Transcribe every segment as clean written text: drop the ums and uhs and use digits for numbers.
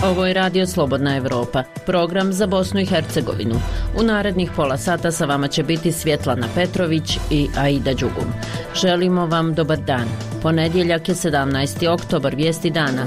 Ovo je Radio Slobodna Evropa, program za Bosnu i Hercegovinu. U narednih pola sata sa vama će biti Svjetlana Petrović i Aida Đugum. Želimo vam dobar dan. Ponedjeljak je 17. oktobar, vijesti dana.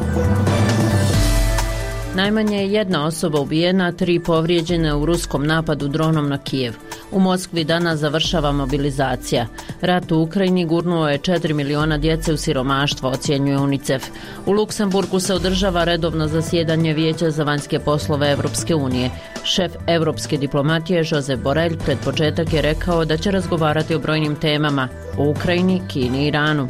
Najmanje je jedna osoba ubijena, 3 povrijeđene u ruskom napadu dronom na Kijev. U Moskvi danas završava mobilizacija. Rat u Ukrajini gurnuo je 4 miliona djece u siromaštvo, ocjenjuje UNICEF. U Luksemburgu se održava redovno zasjedanje Vijeća za vanjske poslove Europske unije. Šef europske diplomatije Josep Borrell pred početak je rekao da će razgovarati o brojnim temama o Ukrajini, Kini i Iranu.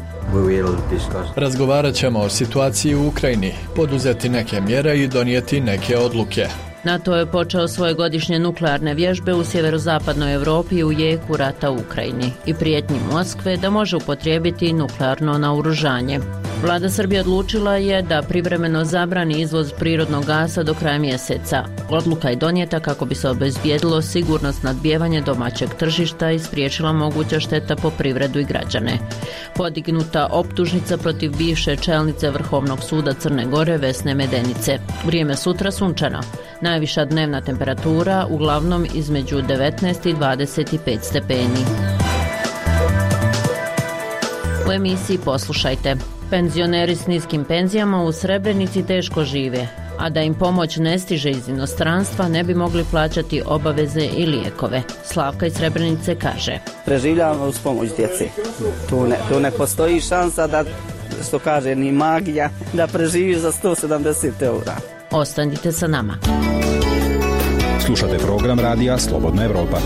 Razgovarat ćemo o situaciji u Ukrajini, poduzeti neke mjere i donijeti neke odluke. NATO je počeo svoje godišnje nuklearne vježbe u sjeverozapadnoj Europi u jeku rata u Ukrajini i prijetnji Moskve da može upotrijebiti nuklearno naoružanje. Vlada Srbije odlučila je da privremeno zabrani izvoz prirodnog gasa do kraja mjeseca. Odluka je donijeta kako bi se obezbijedilo sigurno snabdijevanje domaćeg tržišta i spriječila moguća šteta po privredu i građane. Podignuta optužnica protiv bivše čelnice Vrhovnog suda Crne Gore Vesne Medenice. Vrijeme sutra sunčano. Najviša dnevna temperatura uglavnom između 19 i 25 stepeni. U emisiji poslušajte. Penzioneri s niskim penzijama u Srebrenici teško žive, a da im pomoć ne stiže iz inostranstva ne bi mogli plaćati obaveze i lijekove. Slavka iz Srebrenice kaže: preživljavamo uz pomoć djece. Tu ne postoji šansa da, što kaže, ni magija, da preživiš za 170 eura. Ostanite sa nama. Slušate program Radija Slobodna Evropa.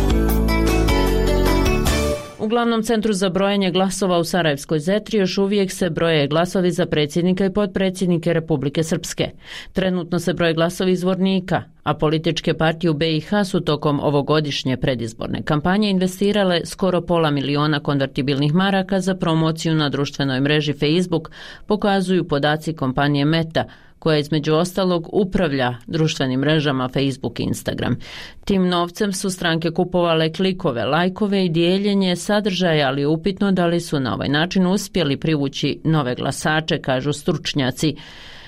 U glavnom centru za brojenje glasova u Sarajevskoj Zetri još uvijek se broje glasovi za predsjednika i potpredsjednike Republike Srpske. Trenutno se broje glasovi izvornika, a političke partije u BiH su tokom ovogodišnje predizborne kampanje investirale skoro $500 000 konvertibilnih maraka za promociju na društvenoj mreži Facebook, pokazuju podaci kompanije Meta, koja između ostalog upravlja društvenim mrežama Facebook i Instagram. Tim novcem su stranke kupovale klikove, lajkove i dijeljenje sadržaja, ali je upitno da li su na ovaj način uspjeli privući nove glasače, kažu stručnjaci.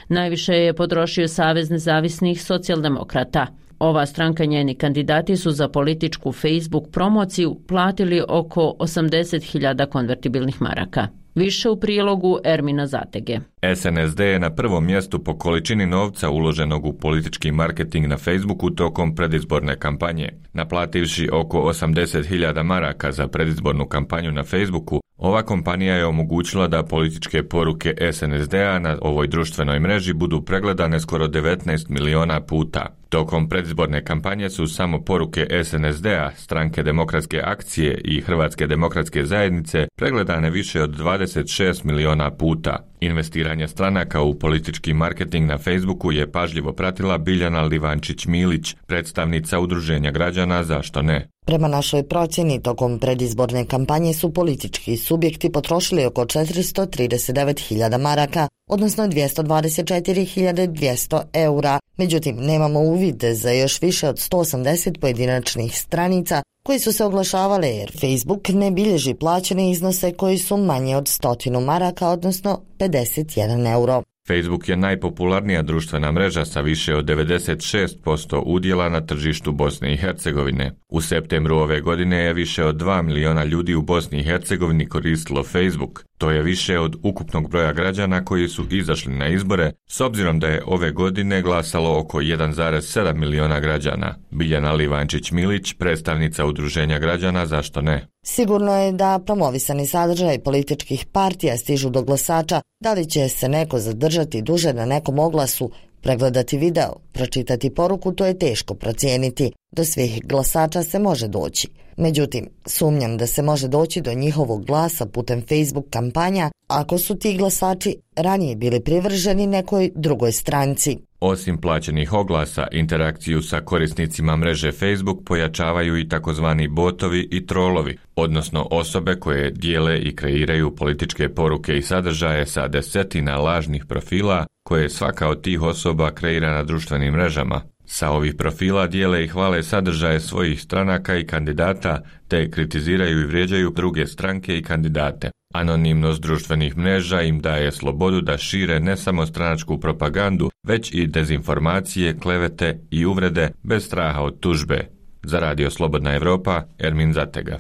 Najviše je potrošio Savez nezavisnih socijaldemokrata. Ova stranka i njeni kandidati su za političku Facebook promociju platili oko 80.000 konvertibilnih maraka. Više u prilogu Ermina Zatege. SNSD je na prvom mjestu po količini novca uloženog u politički marketing na Facebooku tokom predizborne kampanje. Naplativši oko 80.000 maraka za predizbornu kampanju na Facebooku, ova kompanija je omogućila da političke poruke SNSD-a na ovoj društvenoj mreži budu pregledane skoro 19 miliona puta. Tokom predizborne kampanje su samo poruke SNSD-a, Stranke demokratske akcije i Hrvatske demokratske zajednice pregledane više od 26 miliona puta. Investiranje stranaka u politički marketing na Facebooku je pažljivo pratila Biljana Livančić-Milić, predstavnica Udruženja građana Zašto ne? Prema našoj procjeni, tokom predizborne kampanje su politički subjekti potrošili oko 439.000 maraka, odnosno 224.200 eura. Međutim, nemamo uvid za još više od 180 pojedinačnih stranica koji su se oglašavale jer Facebook ne bilježi plaćene iznose koji su manje od 100 maraka, odnosno 51 euro. Facebook je najpopularnija društvena mreža sa više od 96% udjela na tržištu Bosne i Hercegovine. U septembru ove godine je više od 2 miliona ljudi u Bosni i Hercegovini koristilo Facebook. To je više od ukupnog broja građana koji su izašli na izbore, s obzirom da je ove godine glasalo oko 1,7 miliona građana. Biljana Livančić-Milić, predstavnica Udruženja građana Zašto ne? Sigurno je da promovisani sadržaj političkih partija stižu do glasača. Da li će se neko zadržati duže na nekom oglasu, pregledati video, pročitati poruku, to je teško procijeniti. Do svih glasača se može doći. Međutim, sumnjam da se može doći do njihovog glasa putem Facebook kampanja ako su ti glasači ranije bili privrženi nekoj drugoj stranci. Osim plaćenih oglasa, interakciju sa korisnicima mreže Facebook pojačavaju i takozvani botovi i trolovi, odnosno osobe koje dijele i kreiraju političke poruke i sadržaje sa desetina lažnih profila koje svaka od tih osoba kreira na društvenim mrežama. Sa ovih profila dijele i hvale sadržaje svojih stranaka i kandidata, te kritiziraju i vrijeđaju druge stranke i kandidate. Anonimnost društvenih mreža im daje slobodu da šire ne samo stranačku propagandu, već i dezinformacije, klevete i uvrede bez straha od tužbe. Za Radio Slobodna Evropa, Ermin Zatega.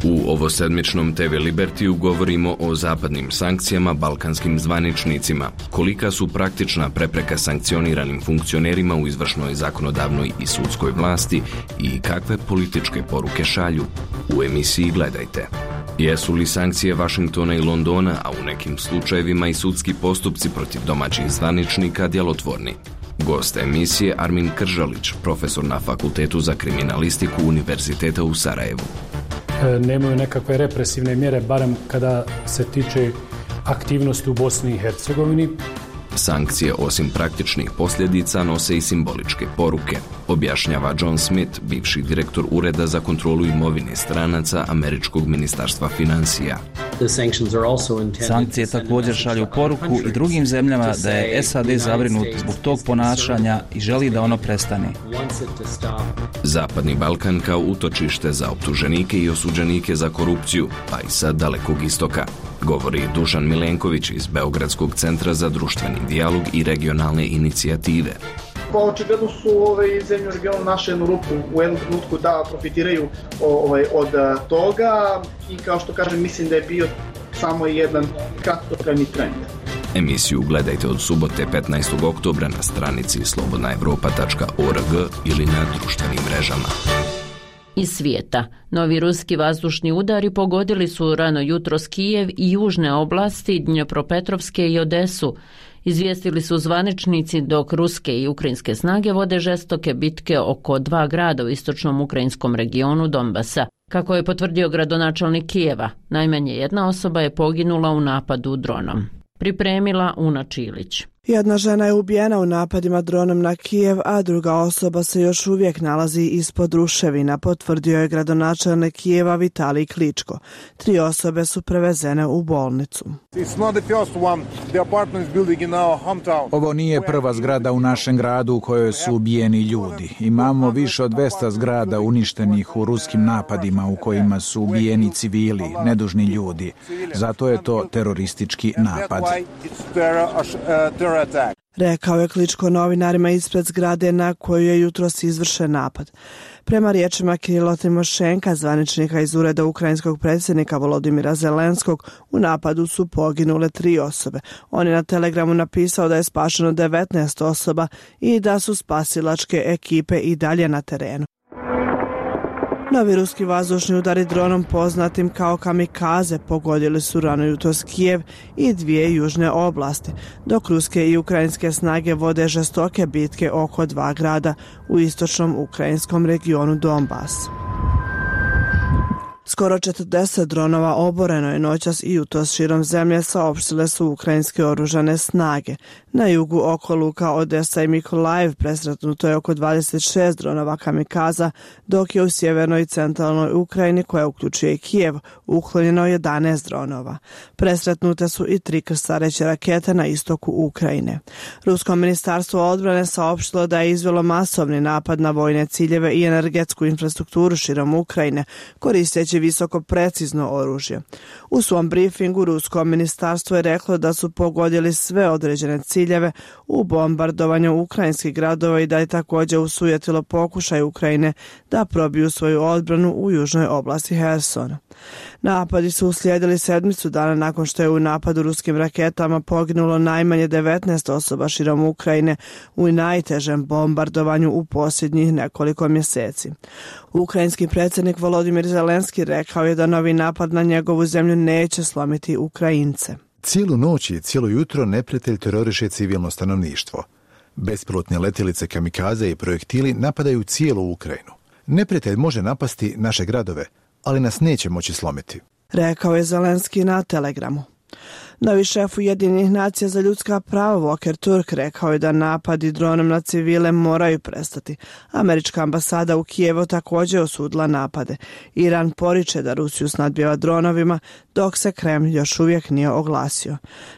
U ovosedmičnom TV Libertiju govorimo o zapadnim sankcijama balkanskim zvaničnicima, kolika su praktična prepreka sankcioniranim funkcionerima u izvršnoj, zakonodavnoj i sudskoj vlasti i kakve političke poruke šalju. U emisiji gledajte. Jesu li sankcije Vašingtona i Londona, a u nekim slučajevima i sudski postupci protiv domaćih zvaničnika djelotvorni? Gost emisije Armin Kržalić, profesor na Fakultetu za kriminalistiku Univerziteta u Sarajevu. Nemaju nekakve represivne mjere, barem kada se tiče aktivnosti u Bosni i Hercegovini. Sankcije osim praktičnih posljedica nose i simboličke poruke, objašnjava John Smith, bivši direktor Ureda za kontrolu imovine stranaca Američkog ministarstva financija. Sankcije također šalju poruku i drugim zemljama da je SAD zabrinut zbog tog ponašanja i želi da ono prestane. Zapadni Balkan kao utočište za optuženike i osuđenike za korupciju, pa i sa Dalekog istoka, govori Dušan Milenković iz Beogradskog centra za društveni dijalog i regionalne inicijative. Pa očigledno su zemlje u regionu našli jednu rupu u jednom trenutku da profitiraju od toga i kao što kažem mislim da je bio samo jedan kratkotrajni trend. Emisiju gledajte od subote 15. oktobra na stranici slobodnaevropa.org ili na društvenim mrežama. Iz svijeta. Novi ruski vazdušni udari pogodili su rano jutros Kijev i južne oblasti Dnjepropetrovske i Odesu. Izvijestili su zvaničnici dok ruske i ukrajinske snage vode žestoke bitke oko 2 grada u istočnom ukrajinskom regionu Donbasa. Kako je potvrdio gradonačelnik Kijeva, najmanje jedna osoba je poginula u napadu dronom. Pripremila Una Čilić. Jedna žena je ubijena u napadima dronom na Kijev, a druga osoba se još uvijek nalazi ispod ruševina, potvrdio je gradonačelnik Kijeva Vitalij Kličko. 3 osobe su prevezene u bolnicu. Ovo nije prva zgrada u našem gradu u kojoj su ubijeni ljudi. Imamo više od 200 zgrada uništenih u ruskim napadima u kojima su ubijeni civili, nedužni ljudi. Zato je to teroristički napad. Rekao je Kličko novinarima ispred zgrade na koju je jutros izvršen napad. Prema riječima Kirila Timošenka, zvaničnika iz ureda ukrajinskog predsjednika Volodimira Zelenskog, u napadu su poginule 3 osobe. On je na Telegramu napisao da je spašeno 19 osoba i da su spasilačke ekipe i dalje na terenu. Novi ruski vazdušni udari dronom poznatim kao kamikaze pogodili su rano jutros Kijev i 2 južne oblasti, dok ruske i ukrajinske snage vode žestoke bitke oko 2 grada u istočnom ukrajinskom regionu Donbas. Skoro 40 dronova oboreno je noćas i jutros širom zemlje, saopštile su ukrajinske oružane snage. Na jugu oko luka Odesa i Mikolajev presretnuto je oko 26 dronova kamikaza, dok je u sjevernoj i centralnoj Ukrajini, koja uključuje i Kijev, uklonjeno 11 dronova. Presretnute su i 3 krstareće rakete na istoku Ukrajine. Rusko ministarstvo odbrane saopštilo da je izvelo masovni napad na vojne ciljeve i energetsku infrastrukturu širom Ukrajine, koristeći visoko precizno oružje. U svom briefingu rusko ministarstvo je reklo da su pogodili sve određene ciljeve u bombardovanju ukrajinskih gradova i da je također usujetilo pokušaj Ukrajine da probiju svoju odbranu u južnoj oblasti Hersona. Napadi su uslijedili 7 dana nakon što je u napadu ruskim raketama poginulo najmanje 19 osoba širom Ukrajine u najtežem bombardovanju u posljednjih nekoliko mjeseci. Ukrajinski predsjednik Volodimir Zelenski rekao je da novi napad na njegovu zemlju neće slomiti Ukrajince. Cijelu noć i cijelo jutro neprijatelj teroriše civilno stanovništvo. Bespilotne letjelice kamikaze i projektili napadaju cijelu Ukrajinu. Neprijatelj može napasti naše gradove, ali nas neće moći slomiti, rekao je Zelenski na Telegramu. Novi šef Ujedinjenih nacija za ljudska prava Volker Turk rekao je da napadi dronom na civile moraju prestati. Američka ambasada u Kijevu također osudila napade. Iran poriče da Rusiju snadbijeva dronovima, dok se Kremlj još uvijek nije oglasio.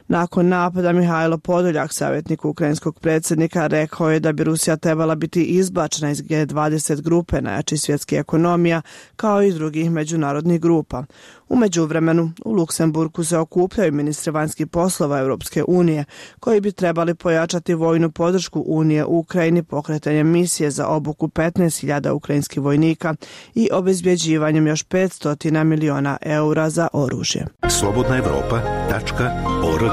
Nakon napada Mihajlo Podoljak, savjetnik ukrajinskog predsjednika, rekao je da bi Rusija trebala biti izbačena iz G20 grupe najjačih svjetskih ekonomija, kao i drugih međunarodnih grupa. U međuvremenu, u Luksemburgu se okupljaju ministri vanjskih poslova Europske unije, koji bi trebali pojačati vojnu podršku Unije u Ukrajini pokretanjem misije za obuku 15.000 ukrajinskih vojnika i obezbjeđivanjem još 500 miliona eura za oružje. slobodnaevropa.org.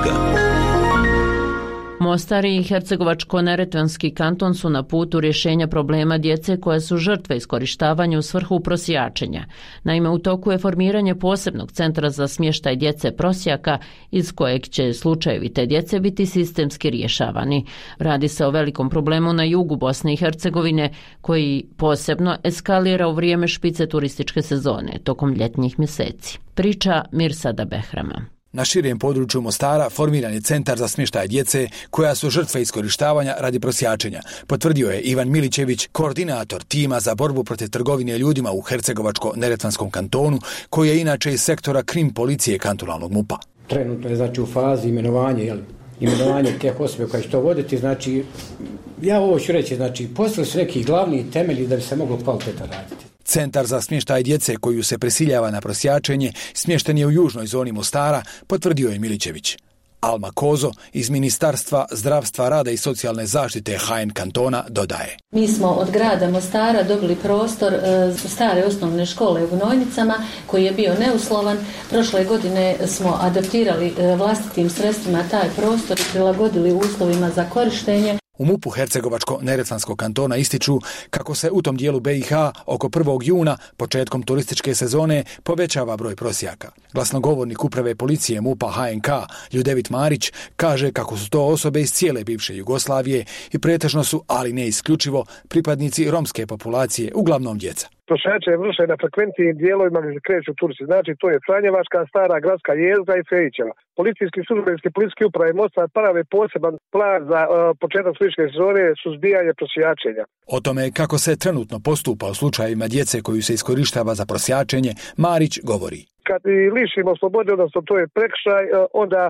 Mostar i Hercegovačko-neretvanski kanton su na putu rješenja problema djece koje su žrtve iskorištavanja u svrhu prosjačenja. Naime, u toku je formiranje posebnog centra za smještaj djece prosjaka iz kojeg će slučajevi te djece biti sistemski rješavani. Radi se o velikom problemu na jugu Bosne i Hercegovine koji posebno eskalira u vrijeme špice turističke sezone tokom ljetnjih mjeseci. Priča Mirsada Behrama. Na širem području Mostara formiran je centar za smještaj djece koja su žrtve iskorištavanja radi prosjačenja, potvrdio je Ivan Milićević, koordinator tima za borbu protiv trgovine ljudima u Hercegovačko-neretvanskom kantonu, koji je inače iz sektora krim policije kantonalnog MUP-a. Trenutno je znači u fazi imenovanje teh osobe koje će to voditi, znači ja ovo ću reći, znači postavili su neki glavni temelji da bi se moglo kvalitetno raditi. Centar za smještaj djece koju se prisiljava na prosjačenje smješten je u južnoj zoni Mostara, potvrdio je Milićević. Alma Kozo iz Ministarstva zdravstva, rada i socijalne zaštite HN kantona dodaje. Mi smo od grada Mostara dobili prostor stare osnovne škole u Gnojnicama koji je bio neuslovan. Prošle godine smo adaptirali vlastitim sredstvima taj prostor i prilagodili uslovima za korištenje. U MUP-u Hercegovačko-neretvanskog kantona ističu kako se u tom dijelu BiH oko 1. juna, početkom turističke sezone, povećava broj prosjaka. Glasnogovornik uprave policije MUP-a HNK Ljudevit Marić kaže kako su to osobe iz cijele bivše Jugoslavije i pretežno su, ali ne isključivo, pripadnici romske populacije, uglavnom djeca. Prosjačenje vrše na frekventnim dijelovima gdje se kreću turci. Znači to je Franjevačka, Stara gradska jezgra i Fejićeva. Policijski službenici policijske uprave Mostar prave poseban plan za početak turističke sezone suzbijanje prosjačenja. O tome kako se trenutno postupa u slučajevima djece koju se iskorištava za prosjačenje, Marić govori. Kad lišimo slobode, odnosno to je prekršaj, onda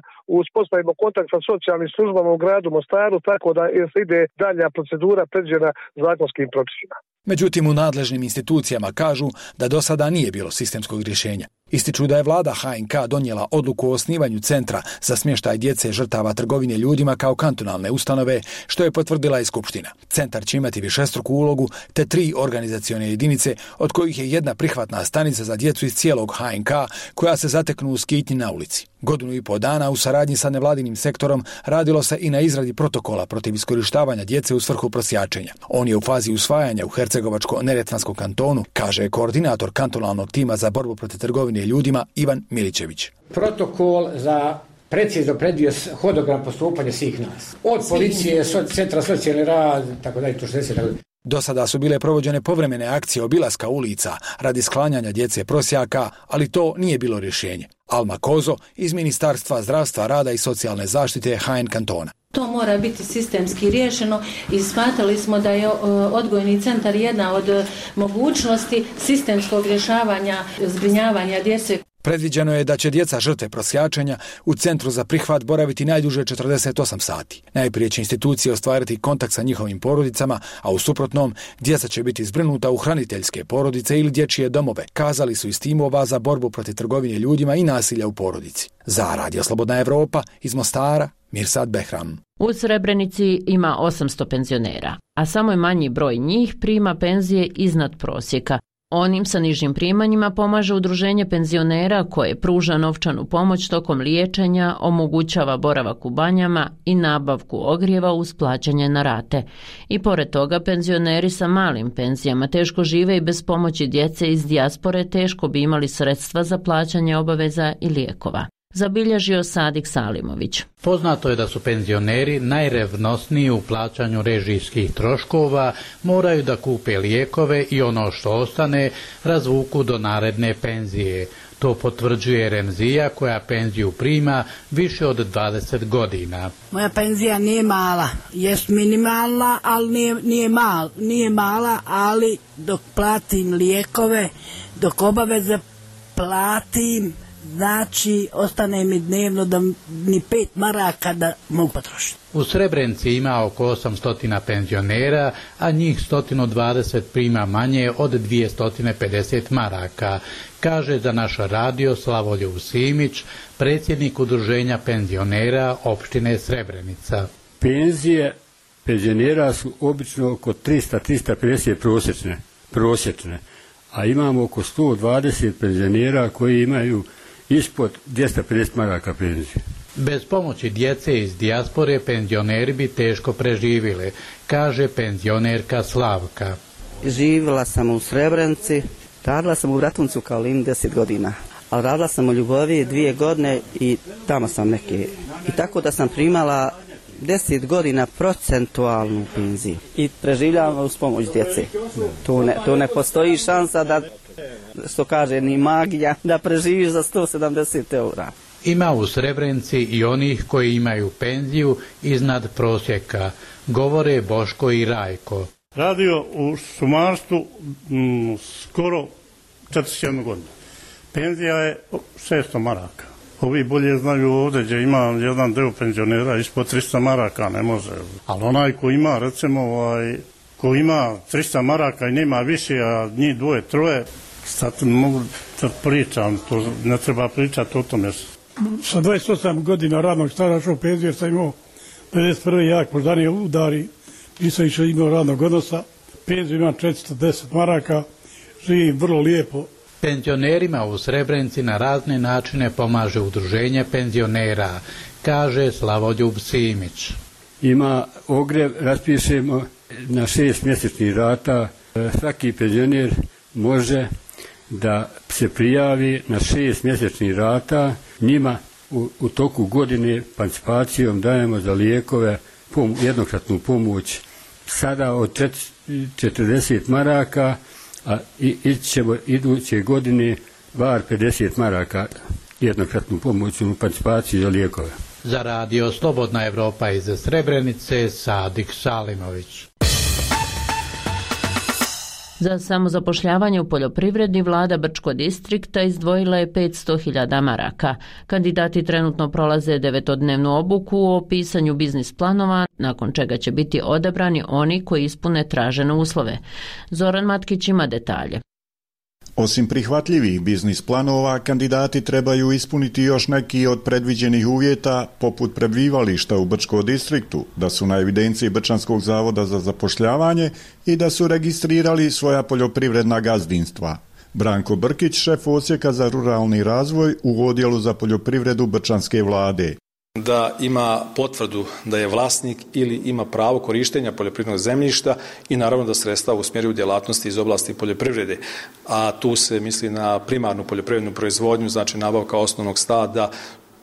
uspostavimo kontakt sa socijalnim službama u gradu Mostaru, tako da se ide dalja procedura predviđena zakonskim propisima. Međutim, u nadležnim institucijama kažu da do sada nije bilo sistemskog rješenja. Ističu da je vlada HNK donijela odluku o osnivanju centra za smještaj djece žrtava trgovine ljudima kao kantonalne ustanove, što je potvrdila i Skupština. Centar će imati višestruku ulogu te 3 organizacione jedinice, od kojih je jedna prihvatna stanica za djecu iz cijelog HNK koja se zateknu u skitnji na ulici. 1,5 godina u saradnji sa nevladinim sektorom radilo se i na izradi protokola protiv iskorištavanja djece u svrhu prosjačenja. On je u fazi usvajanja u Hercegovačko-neretvanskom kantonu, kaže koordinator kantonalnog tima za borbu protiv trgovine ljudima Ivan Milićević. Protokol za precizno predvio hodogram postupanja svih nas. Od policije, centra socijalni rad, tako dalje, to što se tako. Do sada su bile provođene povremene akcije obilaska ulica radi sklanjanja djece prosjaka, ali to nije bilo rješenje. Alma Kozo iz Ministarstva zdravstva, rada i socijalne zaštite HN kantona. To mora biti sistemski riješeno i smatrali smo da je odgojni centar jedna od mogućnosti sistemskog rješavanja zbrinjavanja djece. Predviđeno je da će djeca žrtve prosjačenja u centru za prihvat boraviti najduže 48 sati. Najprije će institucije ostvariti kontakt sa njihovim porodicama, a u suprotnom djeca će biti zbrinuta u hraniteljske porodice ili dječje domove, kazali su iz timova za borbu protiv trgovine ljudima i nasilja u porodici. Za Radio Slobodna Evropa iz Mostara, Mirsad Behram. U Srebrenici ima 800 penzionera, a samo je manji broj njih prima penzije iznad prosjeka. Onim sa nižim primanjima pomaže udruženje penzionera koje pruža novčanu pomoć tokom liječenja, omogućava boravak u banjama i nabavku ogrijeva uz plaćanje na rate. I pored toga penzioneri sa malim penzijama teško žive i bez pomoći djece iz dijaspore teško bi imali sredstva za plaćanje obaveza i lijekova. zabilježio Sadik Salimović. Poznato je da su penzioneri najrevnosniji u plaćanju režijskih troškova, moraju da kupe lijekove i ono što ostane razvuku do naredne penzije. To potvrđuje Remzija koja penziju prima više od 20 godina. Moja penzija nije mala, jest minimalna, ali nije mala, ali dok platim lijekove, dok obaveze platim, znači ostane mi dnevno da ni 5 maraka da mogu potrošiti. U Srebrenici ima oko 800 penzionera, a njih 120 prima manje od 250 maraka, kaže za naš radio Slavoljub Simić, predsjednik udruženja penzionera opštine Srebrenica. Penzije penzionera su obično oko 300-350 prosječne, a imamo oko 120 penzionera koji imaju ispod 250 maraka penzije. Bez pomoći djece iz dijaspore penzioneri bi teško preživjeli, kaže penzionerka Slavka. Živjela sam u Srebrenici, radila sam u Bratuncu kao Lim 10 godina, ali radila sam u Ljuboviji 2 godine i tamo sam neke. I tako da sam primala 10 godina procentualnu penziju i preživljavam uz pomoć djece. Tu ne postoji šansa da, što kaže, ni magija, da preživiš za 170 eura. Ima u Srebrenici i onih koji imaju penziju iznad prosjeka, govore Boško i Rajko. Radio u šumarstvu skoro 41 godinu. Penzija je 600 maraka. Ovi bolje znaju ovdje gdje ima jedan deo penzionera ispod 300 maraka, ne može. Ali onaj ko ima, recimo, ko ima 300 maraka i nema više, a njih 2-3, sad mogu da pričam, to ne treba pričati o tome. Sa 28 godina radnog staža u penziju jer sam imao 51. jak moždani udari, nisam više imao radnog odnosa, penziju imam 410 maraka, živim vrlo lijepo. Penzionerima u Srebrenici na razne načine pomaže udruženje penzionera, kaže Slavoljub Simić. Ima ogrev, raspišemo na 6 mjesečnih rata. Svaki penzioner može da se prijavi na 6 mjesečnih rata. Njima u toku godine participacijom dajemo za lijekove jednokratnu pomoć sada od 40 maraka, a ići ćemo iduće godine bar 50 maraka jednokratnu pomoć u participaciji za lijekove. Za radio Slobodna Evropa iz Srebrenice, Sadik Salimović. Za samozapošljavanje u poljoprivredi vlada Brčko distrikta izdvojila je 500.000 maraka. Kandidati trenutno prolaze 9-dnevnu obuku o pisanju biznis planova, nakon čega će biti odabrani oni koji ispune tražene uslove. Zoran Matkić ima detalje. Osim prihvatljivih biznis planova, kandidati trebaju ispuniti još neki od predviđenih uvjeta, poput prebivališta u Brčkom distriktu, da su na evidenciji Brčanskog zavoda za zapošljavanje i da su registrirali svoja poljoprivredna gazdinstva. Branko Brkić, šef odsjeka za ruralni razvoj u odjelu za poljoprivredu Brčanske vlade. Da ima potvrdu da je vlasnik ili ima pravo korištenja poljoprivrednog zemljišta i naravno da sredstva usmjeruju djelatnosti iz oblasti poljoprivrede. A tu se misli na primarnu poljoprivrednu proizvodnju, znači nabavka osnovnog stada,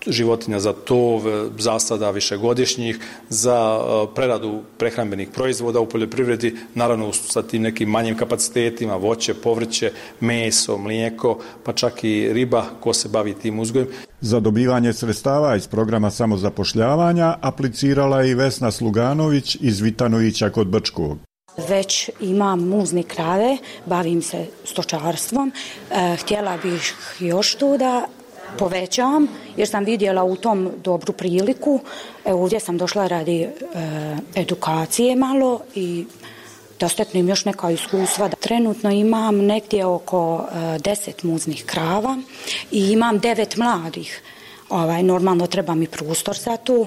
životinja za tov, zasada višegodišnjih, za preradu prehrambenih proizvoda u poljoprivredi, naravno sa tim nekim manjim kapacitetima, voće, povrće, meso, mlijeko, pa čak i riba, ko se bavi tim uzgojem. Za dobivanje sredstava iz programa samozapošljavanja aplicirala je i Vesna Sluganović iz Vitanovića kod Brčkog. Već imam muzne krave, bavim se stočarstvom, htjela bih još to da povećam, jer sam vidjela u tom dobru priliku. Ovdje sam došla radi edukacije malo i da steknem još neka iskustva. Trenutno imam negdje oko 10 muznih krava i imam 9 mladih. Normalno treba mi prostor za to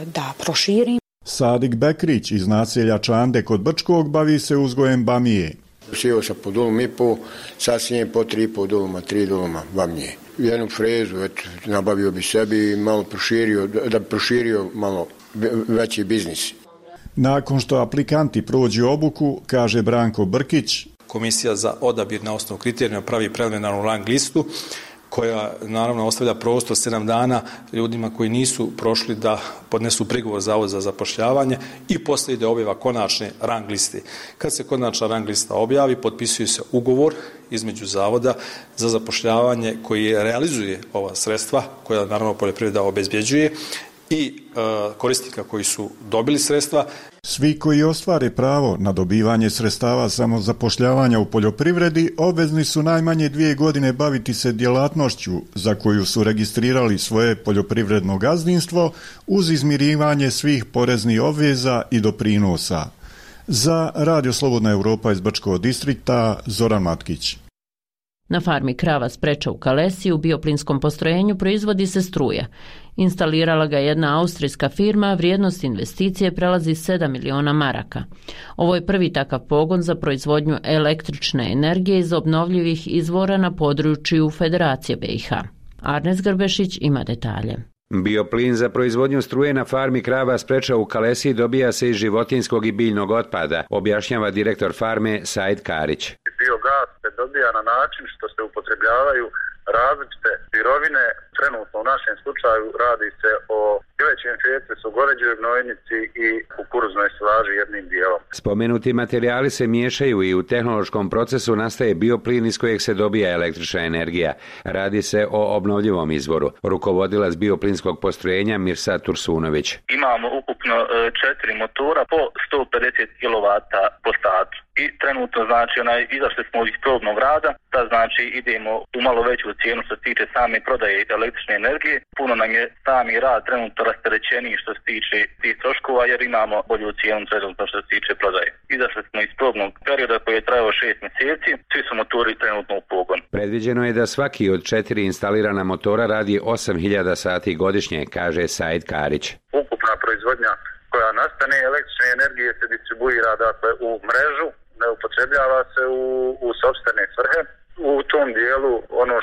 da proširim. Sadik Bekrić iz naselja Čande kod Brčkog bavi se uzgojem bamije. Sjeo sam po dolom i po, sasnijem po 3,5 doloma, 3 doloma bamije. Jednu frezu, nabavio bi sebi i malo proširio, da bi proširio malo veći biznis. Nakon što aplikanti prođu obuku, kaže Branko Brkić, Komisija za odabir na osnovu kriterijuma pravi preliminarnu rang listu koja naravno ostavlja prostor 7 dana ljudima koji nisu prošli da podnesu prigovor Zavod za zapošljavanje i poslije ide objava konačne rang liste. Kad se konačna rang lista objavi, potpisuje se ugovor između Zavoda za zapošljavanje koji realizuje ova sredstva, koja naravno poljoprivreda obezbjeđuje, i korisnika koji su dobili sredstva. Svi koji ostvare pravo na dobivanje sredstava samozapošljavanja u poljoprivredi obvezni su najmanje 2 godine baviti se djelatnošću za koju su registrirali svoje poljoprivredno gazdinstvo uz izmirivanje svih poreznih obveza i doprinosa. Za Radio Slobodna Europa iz Brčkog distrikta, Zoran Matkić. Na farmi krava Spreča u Kalesiji u bioplinskom postrojenju proizvodi se struja. Instalirala ga jedna austrijska firma, vrijednost investicije prelazi 7 miliona maraka. Ovo je prvi takav pogon za proizvodnju električne energije iz obnovljivih izvora na području Federacije BiH. Arnes Grbešić ima detalje. Bioplin za proizvodnju struje na farmi krava Spreča u Kalesiji dobija se iz životinjskog i biljnog otpada, objašnjava direktor farme Said Karić. Biogas se dobija na način što se upotrebljavaju različite sirovine. Trenutno u našem slučaju radi se o pilećem fetesu, goveđoj gnojnici i kukuruznoj silaži jednim dijelom. Spomenuti materijali se miješaju i u tehnološkom procesu nastaje bioplin iz kojeg se dobija električna energija. Radi se o obnovljivom izvoru. Rukovodilac bioplinskog postrojenja Mirsad Tursunović. Imamo ukupno 4 motora po 150 kW po satu. I trenutno znači izašli smo iz probnog rada, da znači idemo u malo veću cijenu što se tiče same prodaje električne energije. Puno nam je sami rad trenutno rasterećeniji što se tiče tih troškova jer imamo bolju cijenu trenutno što se tiče prodaje. Izašli smo iz probnog perioda koji je trajao 6 mjeseci, svi su motori trenutno u pogon. Predviđeno je da svaki od 4 instalirana motora radi 8000 sati godišnje, kaže Said Karić. Ukupna proizvodnja koja nastane električne energije se distribuira dakle u mrežu, ne upotrebljava se u sopstvene svrhe. U tom dijelu ono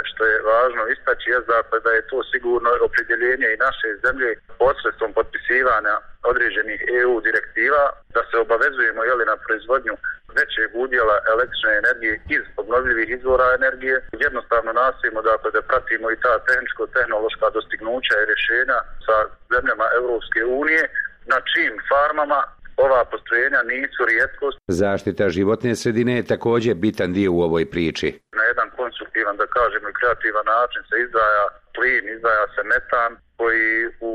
što je važno istaći je dakle da je to sigurno opredjeljenje i naše zemlje posredstvom potpisivanja određenih EU direktiva da se obavezujemo na proizvodnju većeg udjela električne energije iz obnovljivih izvora energije. Jednostavno nastojimo dakle da pratimo i ta tehničko-tehnološka dostignuća i rješenja sa zemljama Europske unije na čijim farmama ova postrojenja nisu rijetkost. Zaštita životne sredine je također bitan dio u ovoj priči. Na jedan konstruktivan, da kažemo, i kreativan način se izdvaja plin, izdvaja se metan koji u,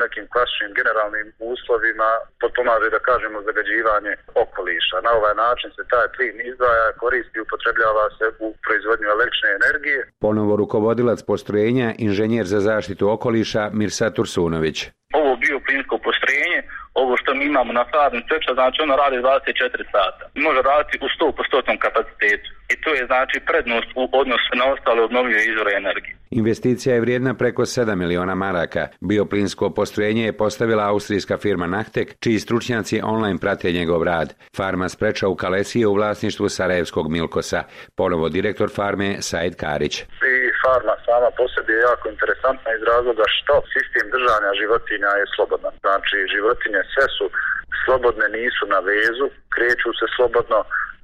nekim klasičnim generalnim uslovima potpomaže, da kažemo, zagađivanje okoliša. Na ovaj način se taj plin izdvaja, koristi i upotrebljava se u proizvodnju električne energije. Ponovo rukovodilac postrojenja, inženjer za zaštitu okoliša Mirsad Tursunović. Ovo bioplinsko postrojenje, ovo što mi imamo na farmi Spreča, znači ono radi 24 sata. Može raditi u 100% kapacitetu. I to je znači prednost u odnosu na ostale obnovljive izvore energije. Investicija je vrijedna preko 7 miliona maraka. Bioplinsko postrojenje je postavila austrijska firma Nachtek, čiji stručnjaci online prate njegov rad. Farma Spreča u Kalesiji je u vlasništvu sarajevskog Milkosa. Ponovo direktor farme Said Karić. Farma sama po sebi je jako interesantna iz razloga što sistem držanja životinja je slobodan. Znači životinje sve su slobodne, nisu na vezu, kreću se slobodno,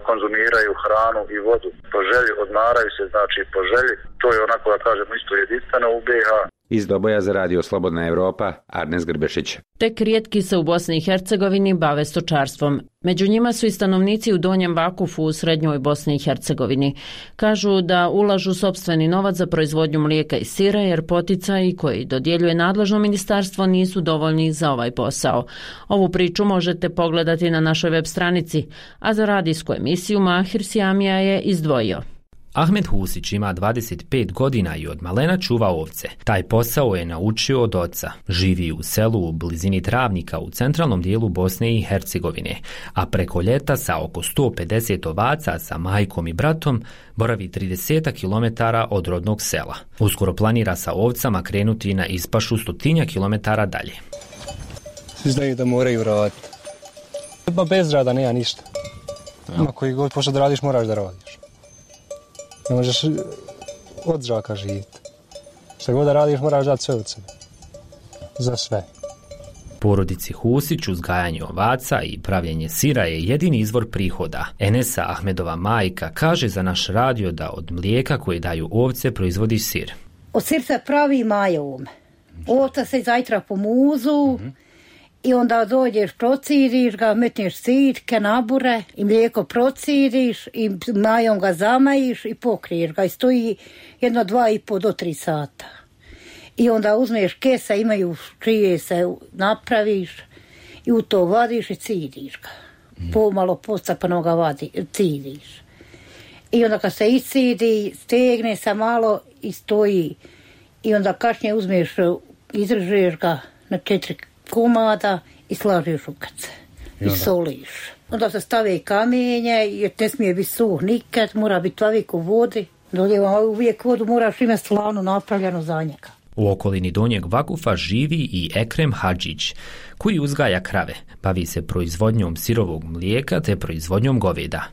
konzumiraju hranu i vodu. Po želji odmaraju se, znači po želji. To je onako da kažemo isto jedinstveno u BiH. Iz Doboja za Radio Slobodna Europa, Arnes Grbešić. Tek rijetki se u Bosni i Hercegovini bave stočarstvom. Među njima su i stanovnici u Donjem Vakufu u srednjoj Bosni i Hercegovini. Kažu da ulažu sopstveni novac za proizvodnju mlijeka i sira jer poticaji koji dodjeljuje nadležno ministarstvo nisu dovoljni za ovaj posao. Ovu priču možete pogledati na našoj web stranici, a za radijsku emisiju Mahir Sjamija je izdvojio. Ahmed Husić ima 25 godina i od malena čuva ovce. Taj posao je naučio od oca. Živi u selu u blizini Travnika u centralnom dijelu Bosne i Hercegovine, a preko ljeta sa oko 150 ovaca sa majkom i bratom boravi 30 km od rodnog sela. Uskoro planira sa ovcama krenuti na ispašu 100 km dalje. Svi znaju da moraju raditi. Bez rada nema ništa. Ima koji god pošto da radiš, moraš da radiš. Ne možeš od zraka živjeti. Što god da radiš, moraš dati sve od sebe. Za sve. Porodici Husić uzgajanje ovaca i pravljenje sira je jedini izvor prihoda. Enesa, Ahmedova majka, kaže za naš radio da od mlijeka koje daju ovce proizvodi sir. Od sir se pravi majom. Ovca se zajtra po muzu i onda dođeš, prociriš ga, metneš sirke, nabure i mlijeko prociriš i majom ga zamajiš i pokriješ ga i stoji 2,5 do 3 sata. I onda uzmeš kesa, imaju čije se napraviš i u to vadiš i ciriš ga. Pomalo postapano ga ciriš. I onda kad se iscidi, stegne se malo i stoji. I onda kasnije uzmeš, izrežeš ga na 4 komada i slažeš u kace. I soliš. Onda se stave kamenje, jer ne smije biti suh nikad, mora biti uvijek u vodi. Uvijek vodu moraš imati slanu napravljenu za njega. U okolini Donjeg Vakufa živi i Ekrem Hadžić, koji uzgaja krave, bavi se proizvodnjom sirovog mlijeka te proizvodnjom goveda.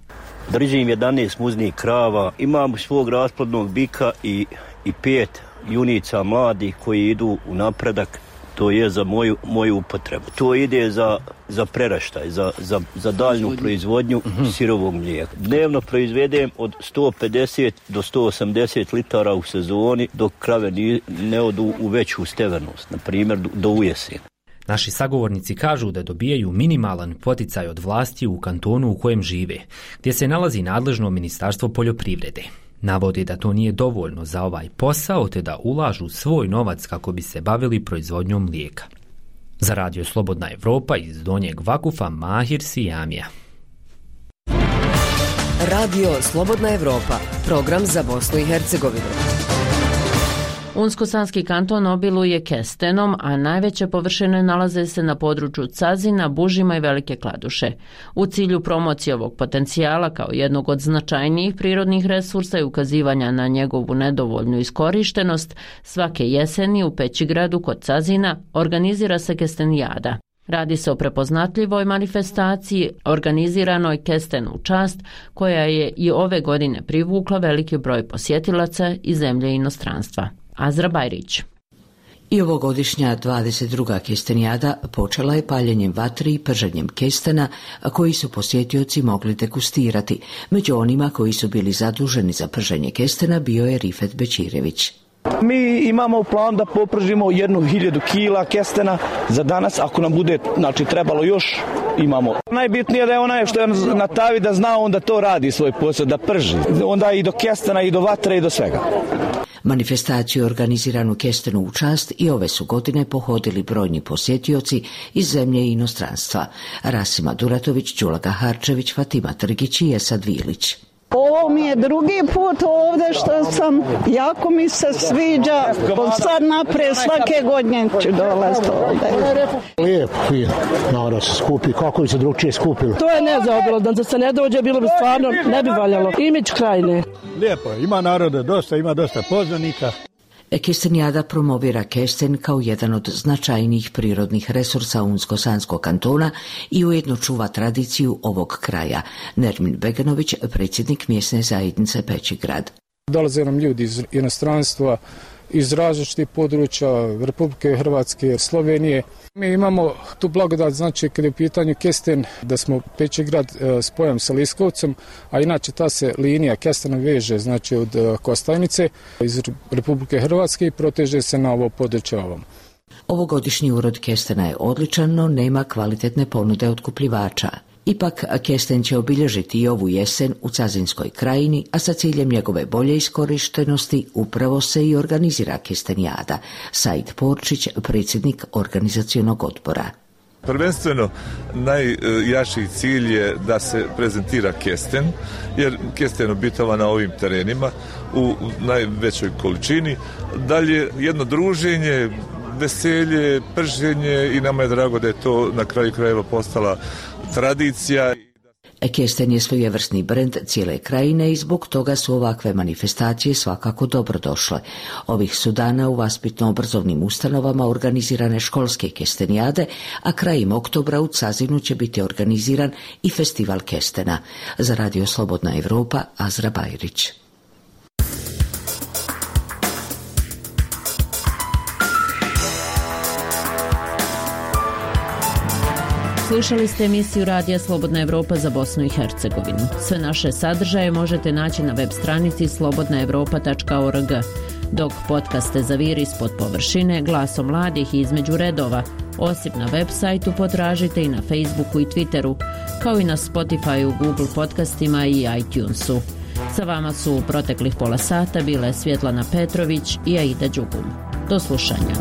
Držim 11 muznih krava, imam svog rasplodnog bika i 5 junica mladih koji idu u napredak, to je za moju upotrebu. To ide za preraštaj, za daljnju proizvodnju sirovog mlijeka. Dnevno proizvedem od 150 do 180 litara u sezoni, dok krave ne odu u veću stevenost, na primjer do ujesen. Naši sagovornici kažu da dobijaju minimalan poticaj od vlasti u kantonu u kojem žive, gdje se nalazi nadležno Ministarstvo poljoprivrede. Navodi da to nije dovoljno za ovaj posao, te da ulažu svoj novac kako bi se bavili proizvodnjom mlijeka. Za radio Slobodna Evropa iz Donjeg Vakufa, Mahir Sijamija. Radio Slobodna Evropa, program za Bosnu i Hercegovinu. Unsko-Sanski kanton obiluje kestenom, a najveće površine nalaze se na području Cazina, Bužima i Velike Kladuše. U cilju promocije ovog potencijala kao jednog od značajnijih prirodnih resursa i ukazivanja na njegovu nedovoljnu iskorištenost, svake jeseni u Pećigradu kod Cazina organizira se kestenijada. Radi se o prepoznatljivoj manifestaciji organiziranoj Kesten u čast, koja je i ove godine privukla veliki broj posjetilaca iz zemlje i inostranstva. Azra Bajrić. I ovogodišnja 22. kestenijada počela je paljenjem vatri i prženjem kestena, koji su posjetioci mogli degustirati. Među onima koji su bili zaduženi za prženje kestena bio je Rifet Bečirević. Mi imamo u planu da popržimo 1000 kila kestena za danas, ako nam bude trebalo još, imamo. Najbitnije da je onaj što je na tavi da zna, onda to radi svoj posao, da prži. Onda i do kestena, i do vatre, i do svega. Manifestaciju organiziranu Kestenu u čast i ove su godine pohodili brojni posjetioci iz zemlje i inostranstva. Rasima Duratović, Đulaga Harčević, Fatima Trgić i Esad Vilić. Ovo mi je drugi put ovdje što sam, jako mi se sviđa, sad naprijed svake godine ću dolaziti ovdje. Lijepo, narod se skupi, kako bi se drugčije skupili. To je nezaobilazno, da se ne dođe, bilo bi stvarno, ne bi valjalo. Imidž krajine. Lijepo, ima naroda dosta, ima dosta poznanika. Kestenijada promovira kesten kao jedan od značajnijih prirodnih resursa Unsko-Sanskog kantona i ujedno čuva tradiciju ovog kraja. Nermin Beganović, predsjednik mjesne zajednice Pećigrad. Dolaze nam ljudi iz inostranstva, iz različitih područja Republike Hrvatske, Slovenije. Mi imamo tu blagodat, znači kad je u pitanju kesten, da smo Pećigrad spojom sa Liskovcem, a inače ta se linija kestena veže, znači od Kostajnice iz Republike Hrvatske i proteže se na ovo područje ovom. Ovogodišnji urod kestena je odličan, no nema kvalitetne ponude otkupljivača. Ipak, kesten će obilježiti i ovu jesen u Cazinskoj krajini, a sa ciljem njegove bolje iskorištenosti upravo se i organizira kestenijada. Said Porčić, predsjednik organizacionog odbora. Prvenstveno najjači cilj je da se prezentira kesten, jer kesten obitava na ovim terenima u najvećoj količini. Dalje jedno druženje, veselje, prženje i nama je drago da je to na kraju krajeva postala tradicija. Kesten je svojevrsni brend cijele krajine i zbog toga su ovakve manifestacije svakako dobrodošle. Ovih su dana u vaspitno-obrazovnim ustanovama organizirane školske kestenijade, a krajem oktobra u Cazinu će biti organiziran i festival kestena. Za radio Slobodna Evropa, Azra Bajrić. Slušali ste emisiju Radija Slobodna Evropa za Bosnu i Hercegovinu. Sve naše sadržaje možete naći na web stranici slobodnaevropa.org, dok podcaste Zaviri ispod površine, Glasom mladih i Između redova, osim na web sajtu potražite i na Facebooku i Twitteru, kao i na Spotifyu, Google podcastima i iTunesu. Sa vama su u proteklih pola sata bile Svjetlana Petrović i Aida Đugum. Do slušanja.